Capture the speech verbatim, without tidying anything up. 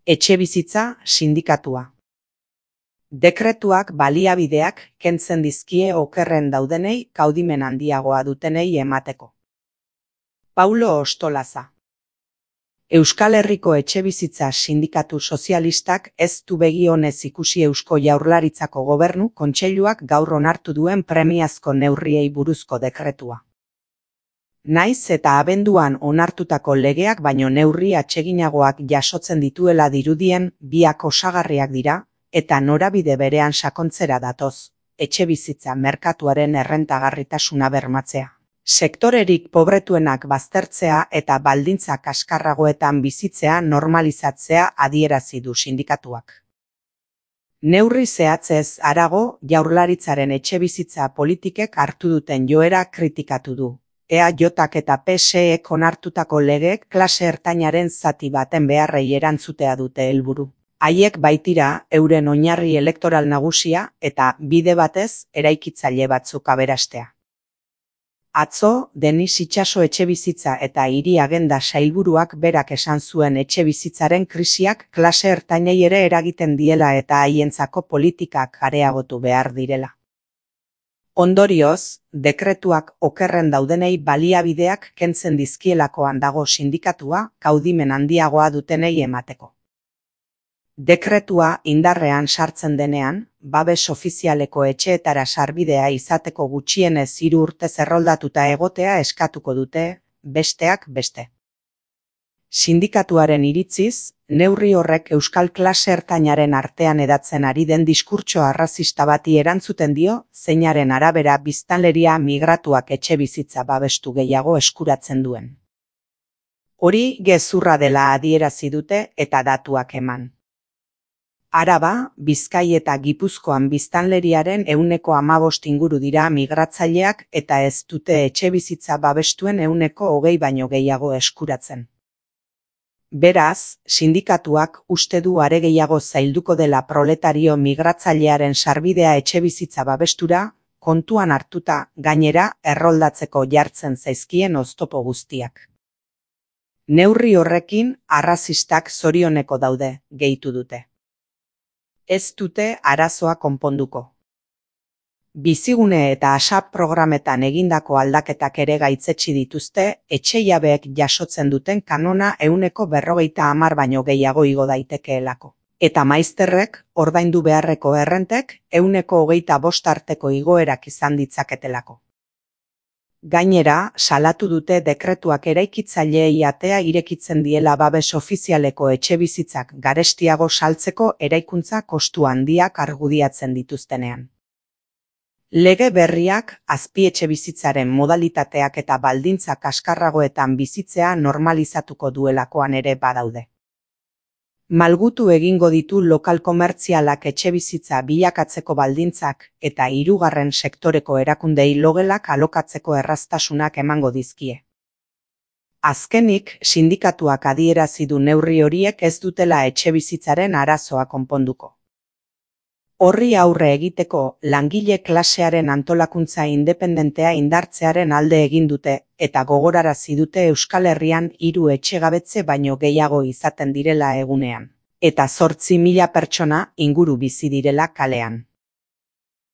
Etxebizitza sindikatua. Dekretuak baliabideak kentzen dizkie okerren daudenei kaudimen handiagoa dutenei emateko. Paulo Ostolaza. Euskal Herriko Etxebizitza Sindikatu Sozialistak ez du begi onez ikusi Eusko Jaurlaritzako Gobernu Kontseiluak gaur onartu duen premiazko neurriei buruzko dekretua. Naiz eta abenduan onartutako legeak baino neurri atseginagoak jasotzen dituela dirudien biak osagarriak dira, eta norabide berean sakontzera datoz, etxebizitza merkatuaren errentagarritasuna bermatzea, sektorerik pobretuenak baztertzea eta baldintza kaskarragoetan bizitzea normalizatzea adierazi du sindikatuak. Neurri zehatzez harago, Jaurlaritzaren etxebizitza politikek hartu duten joera kritikatu du. E A Jak eta P S Ek onartutako legeek klase ertainaren zati baten beharrei erantzutea dute helburu. Haiek baitira euren oinarri elektoral nagusia eta bide batez eraikitzaile batzuk aberastea. Atzo, Denis Itxaso etxebizitza eta hiri agenda sailburuak berak esan zuen etxebizitzaren krisiak klase ertainei ere eragiten diela eta haientzako politikak areagotu behar direla. Ondorioz, dekretuak okerren daudenei baliabideak kentzen dizkielakoan dago sindikatua kaudimen handiagoa dutenei emateko. Dekretua indarrean sartzen denean, babes ofizialeko etxeetara sarbidea izateko gutxienez hiru urtez erroldatuta egotea eskatuko dute, besteak beste. Sindikatuaren iritziz, neurri horrek euskal klase ertainaren artean hedatzen ari den diskurtso arrazista bati erantzuten dio, zeinaren arabera biztanleria migratuak etxebizitza babestu gehiago eskuratzen duen. Hori gezurra dela adierazi dute eta datuak eman. Araba, Bizkai eta Gipuzkoan biztanleriaren ehuneko hamabost inguru dira migratzaileak eta ez dute etxebizitza babestuen ehuneko hogei baino gehiago eskuratzen. Beraz, sindikatuak uste du are gehiago zailduko dela proletario migratzailearen sarbidea etxebizitza babestura, kontuan hartuta gainera erroldatzeko jartzen zaizkien oztopo guztiak. Neurri horrekin arrazistak zorioneko daude, gehitu dute. Ez dute arazoa konponduko. Bizigune eta ASAP programetan egindako aldaketak ere gaitzetsi dituzte, etxejabeek jasotzen duten kanona ehuneko berrogeita hamar baino gehiago igo daitekeelako. Eta maizterrek, ordaindu beharreko errentek, ehuneko hogeita bost arteko igoerak izan ditzaketelako. Gainera, salatu dute dekretuak eraikitzaileei atea irekitzen diela babes ofizialeko etxebizitzak garestiago saltzeko eraikuntza kostu handiak argudiatzen dituztenean. Lege berriak azpietxebizitzaren modalitateak eta baldintza kaskarragoetan bizitzea normalizatuko duelakoan ere badaude. Malgutu egingo ditu lokal komertzialak etxebizitza bilakatzeko baldintzak eta hirugarren sektoreko erakundei logelak alokatzeko erraztasunak emango dizkie. Azkenik, sindikatuak adierazi du neurri horiek ez dutela etxebizitzaren arazoa konponduko. Horri aurre egiteko langile klasearen antolakuntza independentea indartzearen alde egin dute eta gogorarazi dute Euskal Herrian hiru etxegabetze baino gehiago izaten direla egunean, eta zortzi mila pertsona inguru bizi direla kalean.